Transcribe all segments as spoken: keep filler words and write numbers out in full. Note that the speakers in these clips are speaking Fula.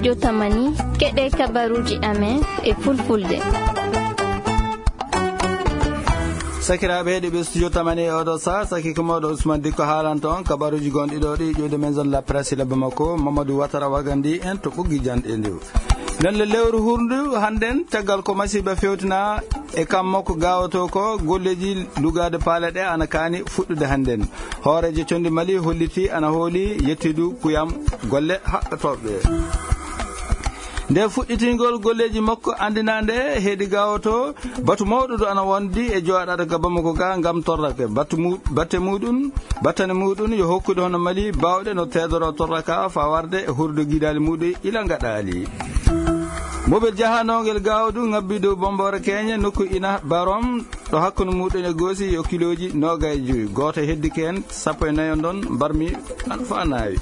Jotamani, keɗe kabaruuji amen e fulfulde. Sakiraaɓe heɗiiɓe studio tamani e oɗo sa, saki ko mawɗo Ousmane Dikko haalanta on kabaruuji gonɗi ɗo ɗi ƴuwde maison de la presse e labba makko, Mamadou Watara Wagandi en to ɓoggi janɗe ndu. Nden le lewru hurndu hannden, caggal ko masiiba fewtina e kam makko gaawoto ko golleeji lugaade paale ɗe ana kaani fuɗɗude hannden. Hooreejo condi Mali holliti ana hooli yettidu kuyam golle haɓɓotooɓe. Nde fuɗɗitingol golleeji makko anndinaande heedi gaawoto, batu mawɗo du ana wondi e jooɗaade ka Bamako ga ngam torrake. Batu mu-, batte muɗum, battane muɗum yo hokkude hono Mali baawɗe no teedoro torraka faa warde e hurdo gidaali muɗum ila ngaɗaali. Mobel jahanongel gaawo du ngabbi dow Bombore Keñe nokku ina Barom ɗo hakkunde muɗum e goosi yo kilooji noogay e jowi. Gooto heddike heen, sappo e nayo ndon mbarmi an faa naawi.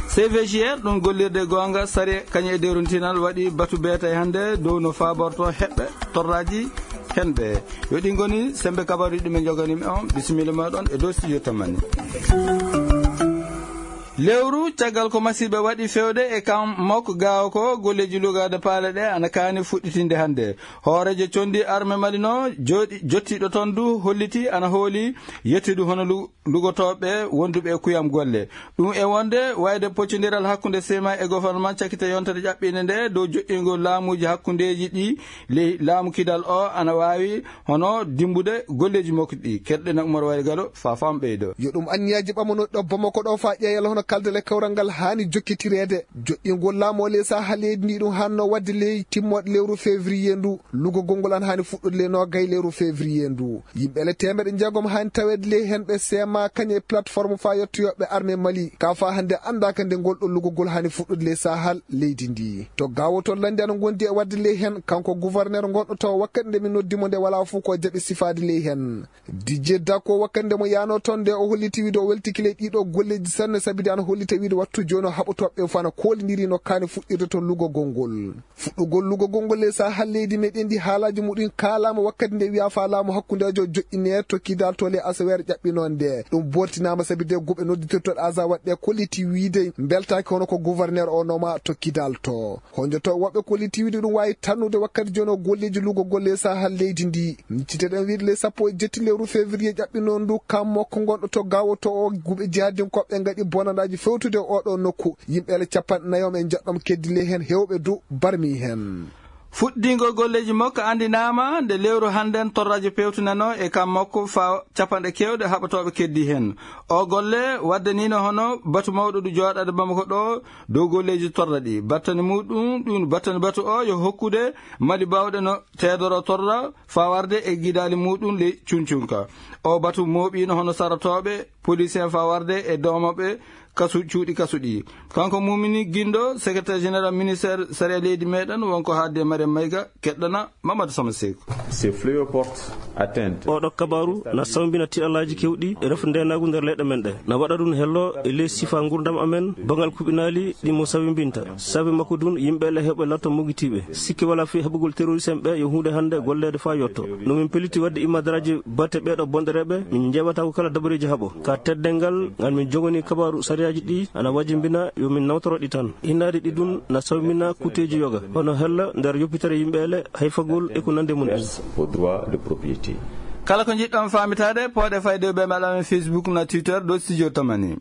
C V G R, ɗum gollirde goonga, sariya kañum e dewrintinal waɗi batu beetay hannde dow no faaborto heɓɓe torraaji hen ɓe. Yo ɗi ngoni sembe kabaruuji ɗi min njoganii on. Bisimilla mooɗon e dow studio tamani. Lewru caggal ko masiiɓe waɗi fewde e kam makko gaawo ko golleeji lugaade paale ɗe ana kaani fuɗɗitinde hannde. Hooreejo condi arme Mali no jooɗi, jottiiɗo toon du holliti ana hooli yettudu hono lu-, lugotooɓe wonduɓe e kuyam golle. Ɗum e wonde wayde poccondiral hakkunde sema e gouvernement cakkite yontere ƴaɓɓinde nde dow joƴƴingol laamuuji hakkundeeji ɗi ley laamu kidal o ana waawi hono dimbude golleeji makko ɗi. Keɗɗen Umar Wayde Galo faa fam ɓeydo. Yo ɗum anniyaaji ɓamanooɗi ɗo Bamako ɗo faa ƴeewal hono kaldal e kawral ngal haani jokkitireede. Joƴƴingol laamu o ley Sahel leydi ndi ɗum haanno waɗde ley timmooɗe lewru février ndu. Lugogol ngol ana haani fuɗɗude ley noogay lewru février ndu. Yimɓe le teemeɗe jeegom haani taweede ley heen ɓe sema kañum e plateforme faa yottoyooɓe armée Mali. Ka faa hannde anndaaka nde ngol ɗo lugogol haani fuɗɗude ley Sahel leydi ndi. To gaawo to lanndi ana ngondi e waɗde ley heen, kanko gouverneur ngonɗo to wakkati nde min noddi mo nde walaa fof ko jaɓi sifaade ley heen. Didier Dacko wakkati nde mo yaano toon nde o holliti wiide o weltiki ley ɗiɗo golleeji sanne sabi de ana hollita wiide wattu jooni o haɓotooɓe fof ana koolindiri no kaani fuɗɗirde toon lugogol ngol. Fuɗɗugol lugogol ngol ley Sahel leydi meɗen ndi haalaaji muɗum kaalaama wakkati nde wiyaa faa laamu hakkundeejo joƴƴinee to kidal to ley asaweere ƴaɓɓinoo nde. Ɗum booltinaama sabi de guɓe nodditirtooɗo Aza waɗde kolliti wiide mbeltaaki hono ko gouverneur o nooma to kidal to. Honjoto woɓɓe kolliti wiide ɗum waawi tannude wakkati jooni o golleeji lugogol ley Sahel leydi ndi. Micciteɗen wiide ley sappo e jetti lewru février ƴaɓɓinoo ndu kam makko ngonɗo to gaawo to o guɓe jihadinkooɓe ngaɗi bonandaaji fewtude oɗo nokku. Yimɓe le capanɗe nayo e njeɗɗo keddi ley heen heewɓe du barmi heen. Fuɗɗiingol golleeji makko anndinaama nde lewru hannden torraaji pewtinanoo e kam makko faa capanɗe keewɗe haɓotooɓe keddi heen. O golle waddaniino hono batu mawɗo du jooɗaade Bamako ɗo dow golleeji torra ɗi. Battane muɗum, ɗum battane batu o yo hokkude Mali baawɗe no teedoro torra faa warde e gidaali muɗum ley cuncunka. O batu mooɓiino hono sarotooɓe, police en faa warde e doomooɓe kasu, cuuɗi kasu ɗi. Kanko Mumini Gindo, secrétaire général ministère sariya leydi meɗen, wonko haalde e Mariam Mayga, keɗɗana Mamadou Sama Seku. Ces fléaux portent atteinte. Oɗo kabaru na sawbina tiɗalaaji kewɗi e refo ndenaagu nder leyɗe men ɗe. Na waɗa ɗum hello e ley sifa ngurdam amen, bangal kuɓinaali ɗi mo sawbinta. Sabi makko ɗum, yimɓe le heɓe latto mogitiiɓe. Sikke wala fi heɓugol terroriste en ɓe yo huunde hannde golleede faa yotto. No min peliti waɗde imadaraaji batte ɓeeɗo bonɗereeɓe, min njeewata ko kala dabareeji haɓo. Ka teddeengal ngal min joganii kabaaru sariyaaji ɗi ana wajimbina yo min nawtoro ɗi tan. Innaade ɗi ɗum na sawmina kuuteeji yoga, hono hella nder yoppitere yimɓe ele, hayfagol e ko nande mum en. Aux droits de propriété. Kala ko njiɗɗon faamitaade, pooɗe fayde ɓe mbaɗa men Facebook na Twitter ɗo Studio Tamani.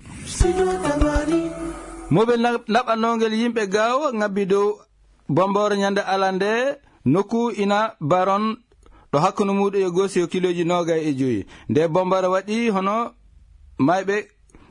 Mobel na-, naɓannongel yimɓe gaawo ngabbi dow Bombore ñande alande, nokku ina Baron, ɗo hakkunde muɗum e Gosi yo kilooji noogay e joyi. Nde Bombore waɗi hono mayɓe,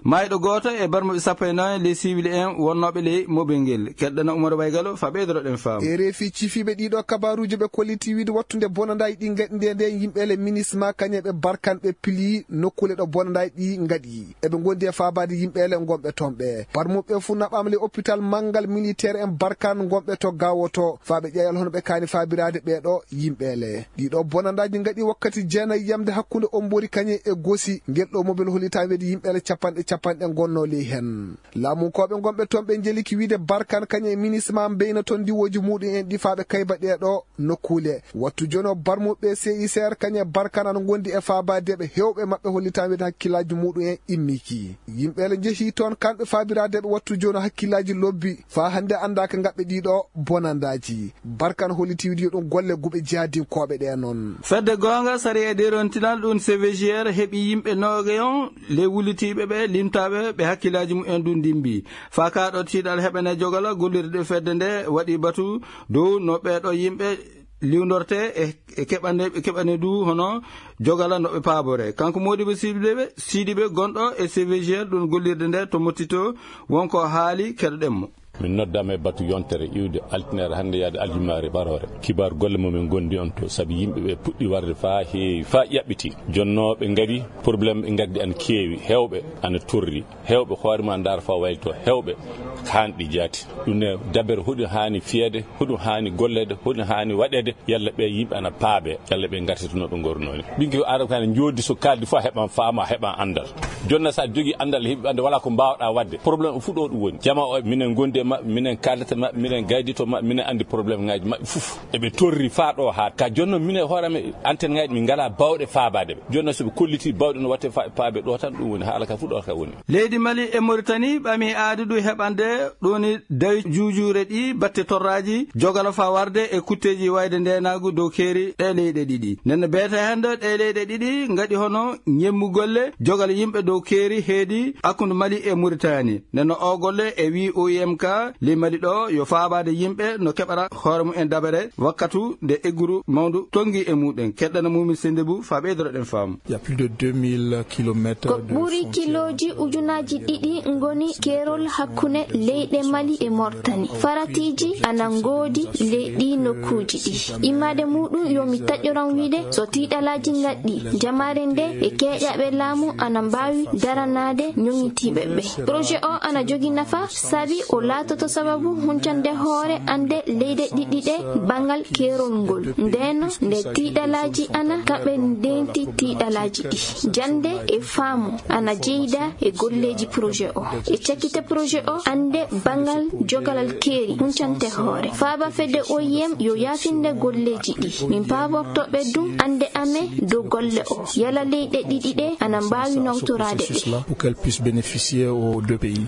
mayɗo gooto e barmuɓe sappo e nayo ley siwil en wonnooɓe ley mobel ngel. Keɗɗana Umar Baygalo fa ɓeydoroɗen faamu. E reefi cifiiɓe ɗiɗo kabaruuji ɓe kolliti wiide wattunde bonandaaji ɗi ngaɗi nde, nde yimɓe le minisma kañe ɓe barkan ɓe pili nokkule ɗo bonandaaji ɗi ngaɗi. Eɓe ngondi e faabaade yimɓe le ngonɓe toon ɓe. Barmuɓe fuu naɓaama le hôpital manngal militaire en barkan ngonɓe to gawoto. Faa ɓe ƴeewal hono ɓe kaani faabiraade ɓee ɗo yimɓe le. Ɗiɗo bonandaaji ngaɗi wakkati jeenayi yamde hakkunde Ombori kañe e Gosi. Ngel ɗo mobel holitaama weedi yimɓe le capanɗe capanɗe ngonnoo ley heen. Laamunkooɓe ngonɓe toon ɓe njeliki wiide Barkan kañum e minisma mbeyna toon ndiwooji muuɗum en ɗi faa ɓe kayba ɗee ɗoo nokkuule. Wattu jooni o barmuɓe C I C R kañum e Barkan ana ngondi e faabaadeeɓe heewɓe maɓɓe hollitaama wiide hakkillaaji muuɗum en immiki. Yimɓe ele njehii toon kamɓe faabiraadeeɓe wattu jooni hakkillaaji lobbi faa hannde anndaa ka ngaɓɓe ɗii ɗoo bonandaaji. Barkan hollitii wiide yo ɗum golle guɓe jihaadinkooɓe ɗee noon. Fedde goonga, sariya e derontinal ɗum C V G R heɓi yimɓe noogayon ley wullitiiɓe ɓe limtaaɓe ɓe hakkillaaji mumen ɗum ndimbi. Faa kaa ɗo tiiɗal heɓene jogala gollirde fedde nde waɗi batu dow no ɓee ɗoo yimɓe liwndortee e, e keɓane, e keɓane du hono jogala no ɓe paaboree. Kanko Modibo Sidibe, Sidibe gonɗo e C V G R ɗum gollirde nde to Mottito wonko haali keɗoɗen mo. Min noddaama e batu yontere iwde altine hannde yaade aljumaare baroore. Kibar golle mo min gondi on to, sabi yimɓe ɓe puɗɗi warde faa heewi, faa ƴaɓɓiti. Jonnoo ɓe ngari, problème ɓe ngaddi ana keewi, heewɓe ana torri, heewɓe hoore ma ndaar faa wayto, heewɓe kaanɗi jaati. Ɗum ne dabere hoɗum haani fiyeede, hoɗum haani golleede, hoɗum haani waɗeede, yalla ɓe yimɓe ana paabe, yalla ɓe ngartata no ɓe ngornoo ni. Ɓiŋki Aadama kan njoodi so kaaldi fof heɓan faama, heɓan anndal. Jonna sa jogi anndal, heɓi ɓannde, wala ko mbaawɗaa waɗde. Problème o fuɗɗo ɗum woni. Jama o, minen gondi e maɓɓe, minen kaaldata maɓɓe, minen gaydito maɓɓe, minen anndi problème ŋaaji maɓɓe fof. Eɓe torri faa ɗo haa ka jonno minen hoore amen antenne ŋaaji min ngalaa baawɗe faabaade ɓe. Jonna so ɓe kolliti baawɗe no watte fa-, faabe ɗo tan ɗum woni haala ka fuɗɗo ka woni. Leydi Mali e Mauritanie ɓami aadi ɗum heɓande ɗoni dawi juujuure ɗi batte torraaji jogala faa warde e kutteeji wayde ndeenaagu dow keeri ɗe leyɗe ɗiɗi. Nden no beete hannde ɗe leyɗe ɗiɗi ngaɗi hono ñemmu golle jogal yimɓe dow keeri heedi hakkunde Mali e Mauritanie. Nden no o golle e wii O I M ka ley Mali ɗo yo faabaade yimɓe no keɓara hoore mumen dabere wakkatu nde egguru mawndu tongi e muɗen. Keɗɗana Mumin Sendebou faa ɓeydoro ɗen faamu. Il y a plus de deux mille kilomètres. Ko de ɓuri frontière kilooji ujunaaji ɗiɗi ngoni keerol hakkunde leyɗe Mali e Mauritanie. Faratiiji ana ngoodi ley ɗii nokkuuji ɗi. Immaade muɗum yo mi taƴoran wiide so tiiɗalaaji ngaɗɗi, jamaare nde e keeƴaaɓe laamu ana mbaawi daranaade ñoŋitiiɓe ɓe. Projet o ana jogi nafa sabi o laatoto sababu huncande hoore annde leyɗe ɗiɗi ɗe banngal keerol ngol. Ndeenno nde tiiɗalaaji ana kaɓe ndeenti tiiɗalaaji ɗi. Jannde e faamu ana jeyda e golleeji projet o. E cakkite projet o, annde banngal jogalal keeri huncante hoore. Faaba fedde O I M yo yaafinde golleeji ɗi. Min paaborto ɓe ɗum annde amen dow golle o. Yala leyɗe ɗiɗi ɗe ana mbaawi nawtoraade ɗe. Pour qu'elle puisse bénéficier aux deux pays.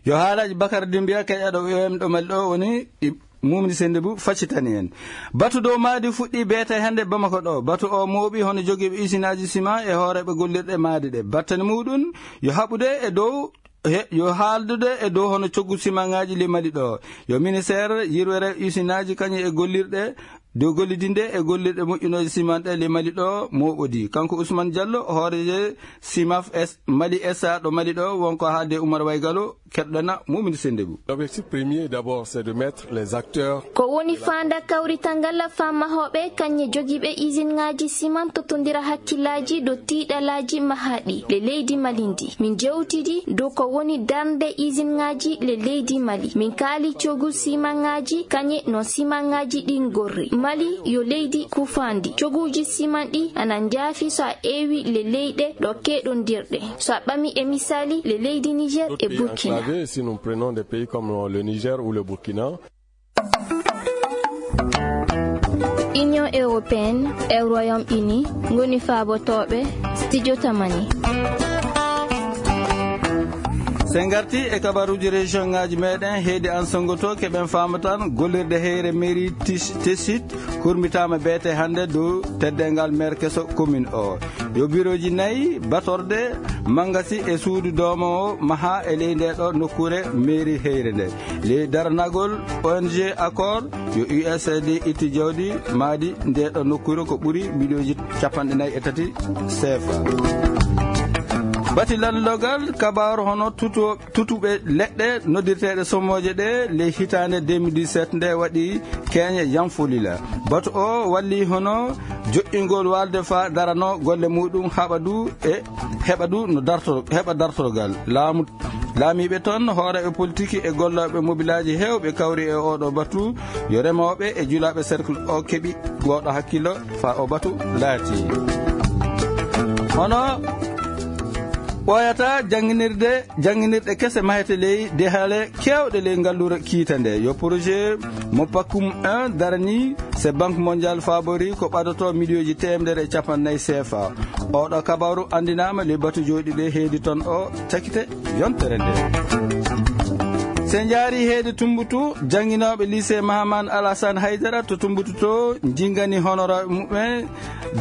Yo haalaaji Bakar Dimbiya, keƴaɗo O I M ɗo Mali ɗo woni ɗi Mumni Sendebou faccitani en. Batu dow maadi fuɗɗi beete hannde Bamako ɗo. Batu o mooɓi hono jogiiɓe usinaaji sima e hooreeɓe gollirɗe maadi ɗe. Battane muɗum yo haɓude e dow, he, yo haaldude e dow hono coggu simaŋaaji ley Mali ɗo. Yo ministeer yirwere usinaaji kañum e gollirɗe dow gollidinde e gollirɗe moƴƴunooje siman ɗe ley Mali ɗo mooɓodi. Kanko Ousmane Diallo, hooreejo Simaf S, Mali S A ɗo Mali ɗo, wonko haalde Oumar Waygalo, keɗɗana Mumini Sendebou. L'objectif premier d'abord, c'est de mettre les acteurs. Ko woni faanda kawrital ngal faa mahooɓe kañum e jogiiɓe isinŋaaji siman tottondira hakkillaaji dow tiiɗalaaji mahaaɗi le leydi Mali ndi. Min jewtidi dow ko woni darnde isinŋaaji le leydi Mali. Min kaali cogu simanŋaaji kañum no simanŋaaji ɗi ngorri. Mali yo leydi kufaandi. Coguuji siman ɗi ana njaafi so a eewi le leyɗe ɗo keɗondirɗe. So a ɓami e misaali le leydi Niger e Burkina. D'autres pays enclavés, si nous prenons des pays comme le Niger ou le Burkina. Union européenne e Royaume-Uni ngoni faabotooɓe studio Tamani. So en ngarti e kabaruuji région ŋaaji meɗen, heedi an sonngoto keɓen faamatan gollirde heyre mairie Tis-, Tessit hurmitaama beete hannde dow teddeengal maire keso commune o. Yo birooji nayi batorde, mangasi e suudu doomoowo maha e ley nde ɗo nokkuure mairie heyre nde. Ley daranagol O N G Accord, yo U S A I D itti jawdi maadi nde ɗo nokkuure ko ɓuri miliyonji capanɗe nayi e tati C F A. Bati lanlogal kabaaru hono tuto tutuɓe leɗɗe noddirteeɗe somooje ɗe ley hitaande deux mille dix-sept nde waɗi keeñe Yanfolila. Batu o walli hono joƴƴingol waalde faa darano golle muɗum haɓa du e heɓa du no darto-, heɓa dartorgal. Laamu, laamiiɓe toon, hooreeɓe politiki e gollooɓe mobilaaji heewɓe kawri e oɗo batu. Yo remooɓe e julaaɓe cercle o keɓi gooɗo hakkillo faa o batu laati. Hono Ɓooyata jannginirde, jannginirɗe kese mahete ley dehale keewɗe ley ngalluure kiita nde. Yo projet mo Pakum un darani, se Banque Mondiale faabori ko ɓadoto miliyooji teemedere e capannayyi C F A. Oɗo kabaru anndinaama ley batu jooɗi ɓe heedi toon o cakite yontere nde. Se njaari heedi Tumbutu, jannginooɓe lycée Mahaman Alassane Haydara to Tumbutu to njingani honoraaɓe muɓɓen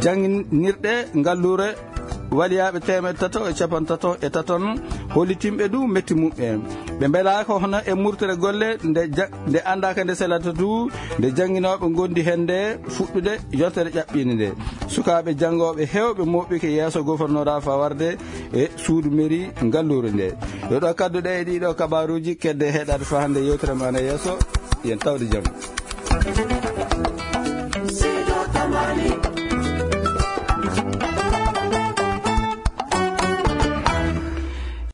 jannginirɗe ngalluure waliyaaɓe teemedde tato e capanɗe tato e taton hollitimɓe du metti muɓɓen. Ɓe mbelaaka hono e murtere golle nde ja-, nde anndaaka nde selata du, nde jannginooɓe ngondi hende fuɗɗude yontere ƴaɓɓiinde nde. Sukaaɓe janngooɓe heewɓe mooɓike yeeso gofornoraa fawarde e suudu mairie ngalluure nde. Yo ɗo kadduɗe e ɗiɗo kabaruuji kedde heɗaade faa hannde yewtere maana yeeso. Yen tawde jam.